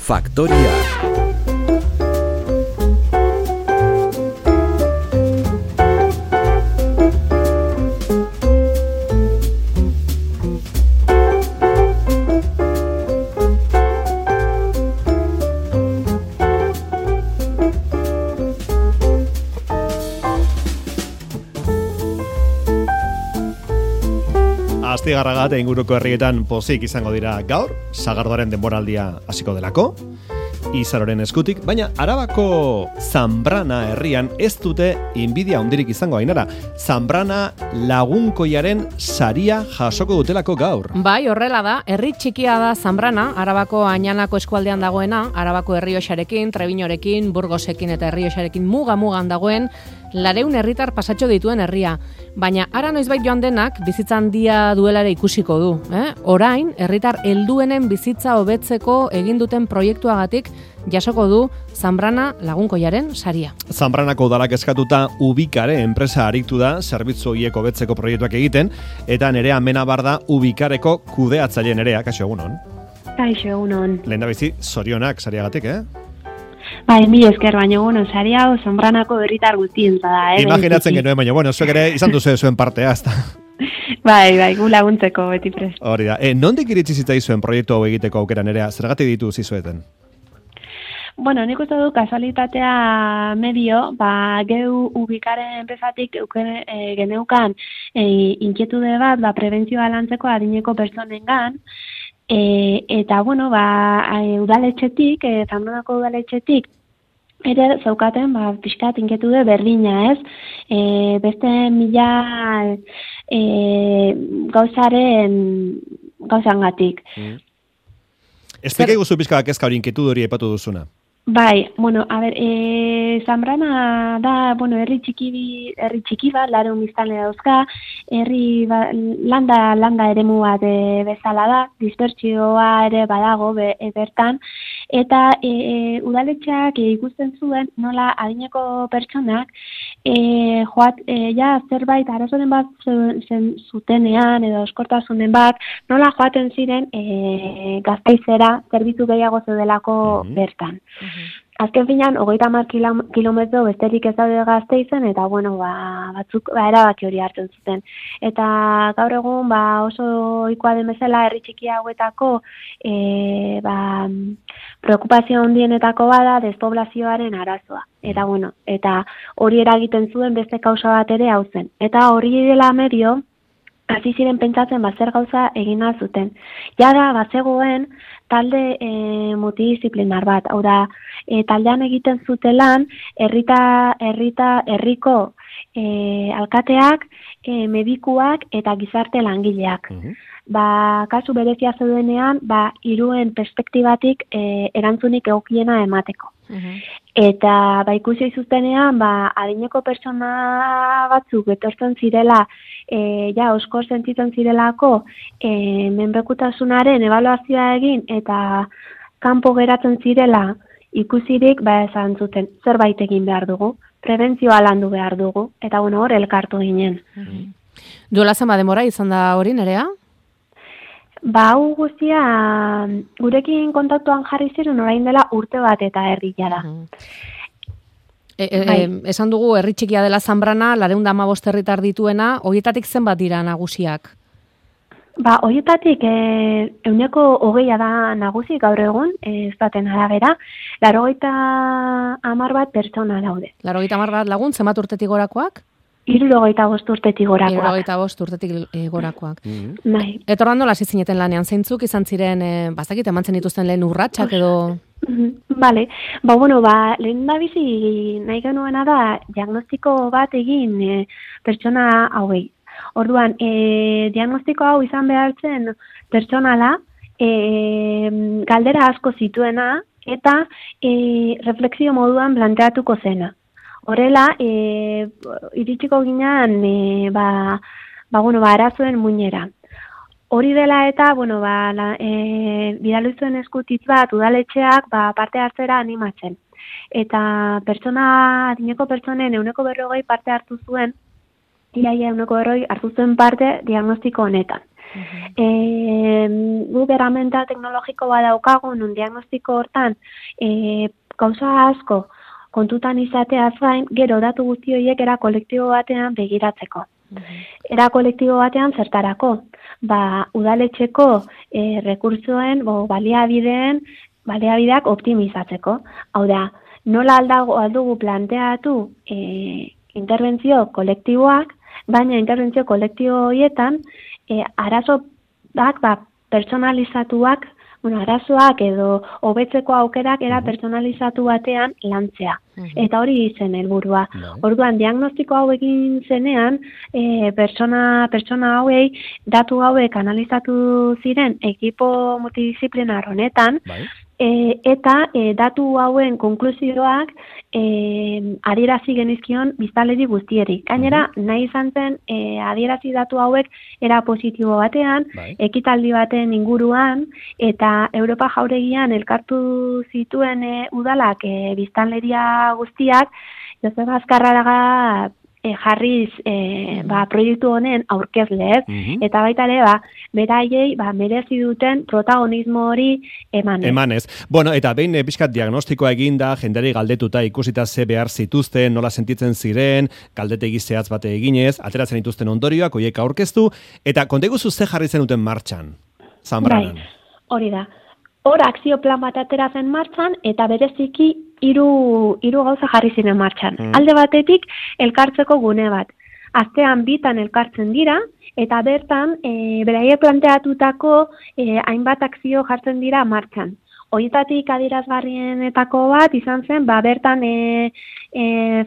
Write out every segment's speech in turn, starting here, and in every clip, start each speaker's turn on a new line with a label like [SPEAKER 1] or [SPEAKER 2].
[SPEAKER 1] Faktoria.
[SPEAKER 2] Astigarraga eta inguruko herrietan pozik izango dira gaur, sagardoaren denboraldia hasiko delako, Izaroren eskutik, baina Arabako Zanbrana herrian ez dute inbidia handirik izango Ainara. Zanbrana lagunkoiaren saria jasoko dutelako gaur.
[SPEAKER 3] Bai, horrela da, herri txikia da Zanbrana, Arabako Añanako eskualdean dagoena, Arabako Errioxarekin, Trebinorekin, Burgosekin eta Errioxarekin muga-mugan dagoen, 200 herritar pasatxo dituen herria. Baina ara noizbait joan denak bizitza handia duelare ikusiko du. Orain, herritar helduenen bizitza hobetzeko egin duten proiektuagatik jasoko du Zanbrana lagunkoiaren saria.
[SPEAKER 2] Zanbranako udalak eskatuta Ubikare enpresa aritu da zerbitzu horiek hobetzeko proiektuak egiten, eta Nerea Menabar da Ubikareko kudeatzaile. Nerea, kaixo egunon.
[SPEAKER 4] Kaixo egunon.
[SPEAKER 2] Lehendabizi, zorionak sariagatik,
[SPEAKER 4] Bai, mi esker, baina saria hau Zanbranako herritar guztientza da,
[SPEAKER 2] Imaginatzen genuen, baina zuek ere izan duzu zuen partea, ezta?
[SPEAKER 4] Bai, gu laguntzeko beti prest.
[SPEAKER 2] Hori da. Nondik iritsi zitzaizuen proiektu hau egiteko aukera, Nerea? Zergatik ditu zizueten?
[SPEAKER 4] Bueno, nik uste du kasualitatea medio, geu Ubikaren enpresatik geneukan inkietude bat, prebentzioa lantzeko adineko pertsonengan, eta, udaletxetik, Zanbranako udaletxetik, ere zaukaten, pixkat inketude berdina, ez? Beste 1000 gauzangatik.
[SPEAKER 2] Esplika iguzu pixka kezka hori inketude hori aipatu duzuna.
[SPEAKER 4] Bai, Zanbrana da, herri txiki bat, 200 biztanle dauzka, herri landa eremu bat bezala da, dispertsioa ere badago bertan, eta udaletxeak ikusten zuen nola adineko pertsonak zerbait arazoren bat zutenean edo eskortasunen bat, nola joaten ziren Gasteizera zerbitzu gehiago zeudelako bertan. Azken finean, 30 kilometro besterik ez daude Gasteizen, eta batzuk erabaki hori hartzen zuten. Eta gaur egun oso ohikoa den bezala herri txiki hauetako preokupazio handienetako bada despoblazioaren arazoa. Eta hori eragiten zuen beste kausa bat ere hau zen. Eta hori dela medio, hasi ziren pentsatzen zer gauza egin zuten. Jada bazegoen talde multidisziplinar bat, hau da, taldean egiten zutelan herriko alkateak, medikuak eta gizarte langileak. Kasu berezia zeudenean, hiruen perspektibatik erantzunik egokiena emateko. Eta ikusi zuztenean, adineko pertsona batzuk etortzen zirela, osko sentitzen zirelako menpekutasunaren ebaluazioa egin eta kanpo geratzen zirela ikusirik, esan zuten zerbait egin behar dugu, prebentzioa landu behar dugu, eta hor elkartu ginen.
[SPEAKER 3] Duela zenbat denbora izan da hori, Nerea?
[SPEAKER 4] Hau guztia gurekin kontaktuan jarri ziren orain dela urte bat eta erdia da.
[SPEAKER 3] Esan dugu herri txikia dela Zanbrana, 215 herritar dituena, horietatik zenbat dira nagusiak?
[SPEAKER 4] Horietatik 20% da nagusi gaur egun, ez baten arabera, 80 bat pertsona daude.
[SPEAKER 3] 80 bat lagun, zenbat urtetik gorakoak?
[SPEAKER 4] 75 urtetik gorakoak.
[SPEAKER 3] 75 urtetik gorakoak.
[SPEAKER 4] Bai.
[SPEAKER 3] Eta ordan nola hasi zineten lanean, zeintzuk izan ziren, bazakit emantzen dituzten lehen urratsak edo...
[SPEAKER 4] Bale, lehen da bizi nahi genuena da diagnostiko bat egin pertsona hauei. Orduan, diagnostiko hau izan behartzen pertsonala, galdera asko zituena eta refleksio moduan planteatuko zena. Horrela, iritsiko ginean, arazoen muinera. Hori dela eta, bidaluzuen eskutitz bat udaletxeak parte hartzera animatzen. Eta adineko pertsonen 140 parte hartu zuen, iaia 140 hartu zuen parte diagnostiko honetan. Guk erramenta teknologiko bat daukagu, nun diagnostiko hortan, gauza asko kontutan izateaz gain, gero datu guzti horiek era kolektibo batean begiratzeko. Era kolektibo batean zertarako? Udaletxeko rekurtsoen, baliabideak optimizatzeko. Hau da, nola aldugu planteatu interbentzio kolektiboak, baina interbentzio kolektibo horietan arazoak personalizatuak, arazoak edo hobetzeko aukerak era personalizatu batean lantzea. Eta hori zen helburua. Orduan, diagnostiko hau egin zenean, pertsona hauei, datu hauek analizatu ziren ekipo multidisciplinar honetan, eta datu hauen konklusioak adierazi genizkion biztanleri guztieri. Gainera, nahi izan zen adierazi datu hauek era positibo batean, ekitaldi baten inguruan, eta Europa jauregian elkartu zituen udalak biztanleria guztiak, Joseba Azkarraga jarriz proiektu honen aurkezle, eta baita ere, beraiei merezi duten protagonismo hori emanez.
[SPEAKER 2] Bueno, eta behin pixkat diagnostikoa eginda, jenderi galdetuta ikusita ze behar zituzten, nola sentitzen ziren, galdetegi zehatz bate eginez, ateratzen dituzten ondorioak, hoiek aurkeztu, eta konteguzu ze jarri zenuten martxan, Zanbranan.
[SPEAKER 4] Hori da. Hor akzio plan bat atera zen martxan, eta bereziki hiru gauza jarri ziren martxan. Alde batetik, elkartzeko gune bat. Astean bitan elkartzen dira, eta bertan, beraiek planteatutako hainbat akzio jartzen dira martxan. Horietatik adierazgarrienetako bat izan zen, bertan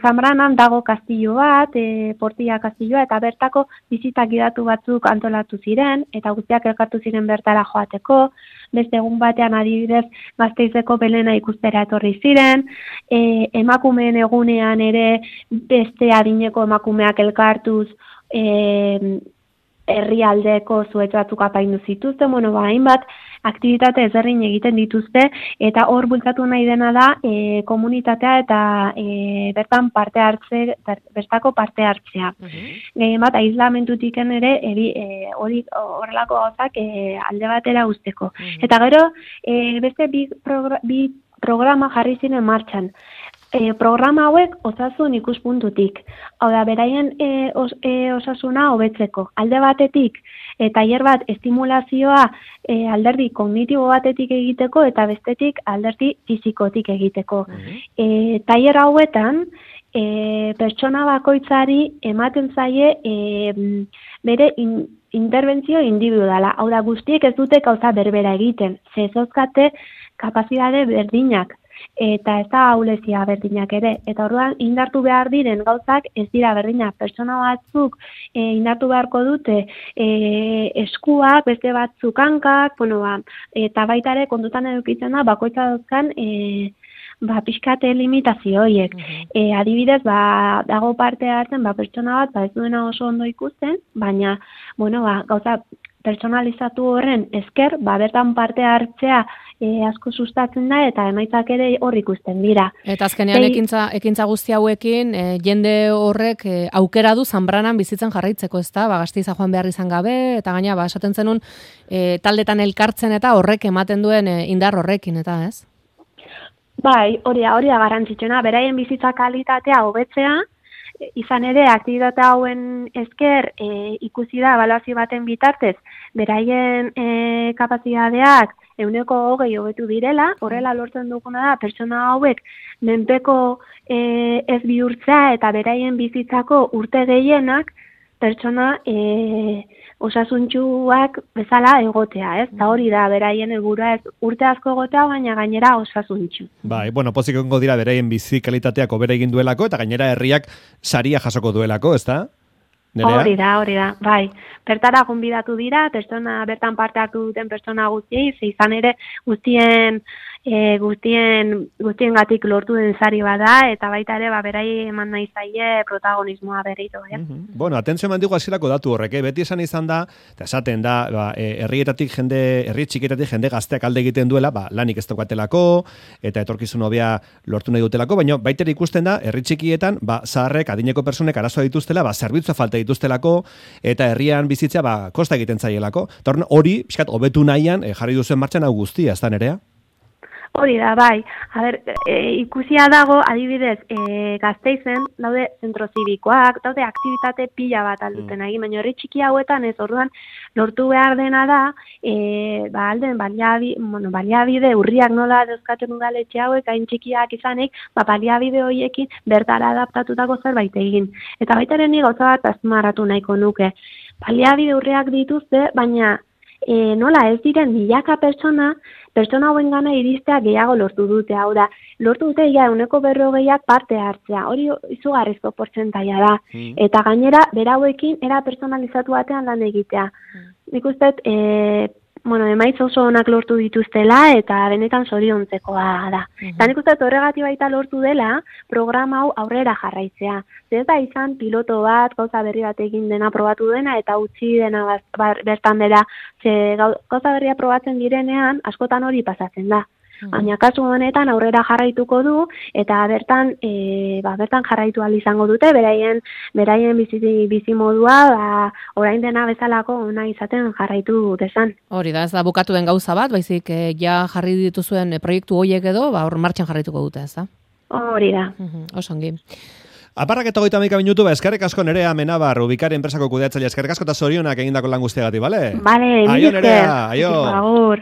[SPEAKER 4] Zanbranan dago kastillo bat, Portilla kastilloa, eta bertako bizitak gidatu batzuk antolatu ziren, eta guztiak elkartu ziren bertara joateko, beste egun batean adibidez Gasteizeko Belena ikustera etorri ziren, emakumeen egunean ere beste adineko emakumeak elkartuz herrialdeko zuhaitz batzuk apaindu zituzten, hainbat aktibitate ezberdin egiten dituzte, eta hor bultzatu nahi dena da komunitatea eta bertan bertako parte hartzea. Gehien bat, aislamentutik ere horrelako gauzak alde batera usteko. Eta gero, beste bi programa jarri ziren martxan. Programa hauek osasun ikuspuntutik. Hau da, beraien osasuna hobetzeko. Alde batetik, tailer bat estimulazioa alderdi kognitibo batetik egiteko eta bestetik alderdi fizikotik egiteko. Tailer hauetan, pertsona bakoitzari ematen zaie bere interbentzio individuala. Hau da, guztiek ez dute gauza berbera egiten. Zezozkate kapazitate berdinak. Eta ez da ahulezia berdinak ere. Eta orduan indartu behar diren gauzak ez dira berdinak. Pertsona batzuk indartu beharko dute eskuak, beste batzuk hankak, eta baita ere kontutan edukitzen da, bakoitza dauzkan pixkate limitazio horiek. Adibidez, dago parte hartzen, pertsona bat, ez duena oso ondo ikusten, baina, gauza personalizatu horren esker, bertan parte hartzea asko sustatzen da, eta emaitzak ere hor ikusten dira.
[SPEAKER 3] Eta azkenean ekintza guzti hauekin, jende horrek aukera du Zanbranan bizitzen jarraitzeko, ez da? Gasteiza joan behar izan gabe, eta gaina, esaten zenun, taldetan elkartzen eta horrek ematen duen indar horrekin, eta ez?
[SPEAKER 4] Bai, hori da garrantzitsuna, beraien bizitza kalitatea hobetzea, izan ere, aktibitate hauen esker ikusi da ebaluazio baten bitartez, beraien kapazitateak 120% hobetu direla, horrela lortzen duguna da, pertsona hauek menpeko ez bihurtzea eta beraien bizitzako urte gehienak pertsona osasuntsuak bezala egotea, ez? Eta hori da, beraien helburua ez urte asko egotea, baina gainera osasuntsu.
[SPEAKER 2] Bai, pozik egongo dira beraien bizi kalitateak hobera egin duelako, eta gainera herriak saria jasoko duelako, ez da?
[SPEAKER 4] Hori da, bai. Bertara gonbidatu dira, bertan parte hartu duten pertsona guztiei, izan ere guztien guztiengatik lortu den sari bada, eta baita ere, berai eman nahi zaie protagonismoa berriro,
[SPEAKER 2] Bueno, atentzio eman digu hasierako datu horrek, beti esan izan da, eta esaten da, herri txikietatik jende gazteak alde egiten duela, lanik ez daukatelako, eta etorkizun hobea lortu nahi dutelako, baina baita ere ikusten da, herri txikietan, zaharrek, adineko personek arazoa dituztela, zerbitzua falta dituztelako, eta herrian bizitzea, kosta egiten zaielako. Eta hori, pixkat, hobetu nahian, jarri duzuen martxan hau guztia, ez da Nerea?
[SPEAKER 4] Hori da, bai. Ikusia dago, adibidez, Gasteizen, daude zentro zibikoak, daude aktivitate pila bat alduten egin, baina herri txiki hauetan ez, orduan, lortu behar dena da, alden baliabide urriak nola dauzkaten udaletxe hauek, hain txikiak izanik, baliabide horiekin bertara adaptatutako zerbait egin. Eta baitaren ni gauza bat azpimarratu nahiko nuke. Baliabide urriak dituzte, baina nola ez diren milaka pertsona hauen gana iristea gehiago lortu dute, hau da, lortu dute 140ak parte hartzea, hori izugarrizko portzentaia da, eta gainera berauekin era personalizatu batean lan egitea. Nik uste, emaitza oso onak lortu dituztela eta benetan zoriontzekoa da. Eta nik uste horregatik baita lortu dela programa hau aurrera jarraitzea. Ez da izan piloto bat, gauza berri bat egin dena probatu dena eta utzi dena bertan bera. Gauza berria probatzen direnean askotan hori pasatzen da. Baina kasu honetan aurrera jarraituko du eta bertan jarraitu ahal izango dute beraien bizi modua orain dena bezalako ona izaten jarraitu desan.
[SPEAKER 3] Hori da, ez da bukatu den gauza bat, baizik ja jarri dituzuen proiektu horiek edo hor martxan jarraituko dute, ez da?
[SPEAKER 4] Hori da.
[SPEAKER 3] Oso ongi.
[SPEAKER 2] Aparrak eta 30 minutu, eskerrik asko Nerea Amenabar, Ubikari enpresako kudeatzaile, eskerrik asko eta zorionak egindako lan guztiagatik, bale?
[SPEAKER 4] Bale,
[SPEAKER 2] aio Nerea, aio.
[SPEAKER 4] Agur.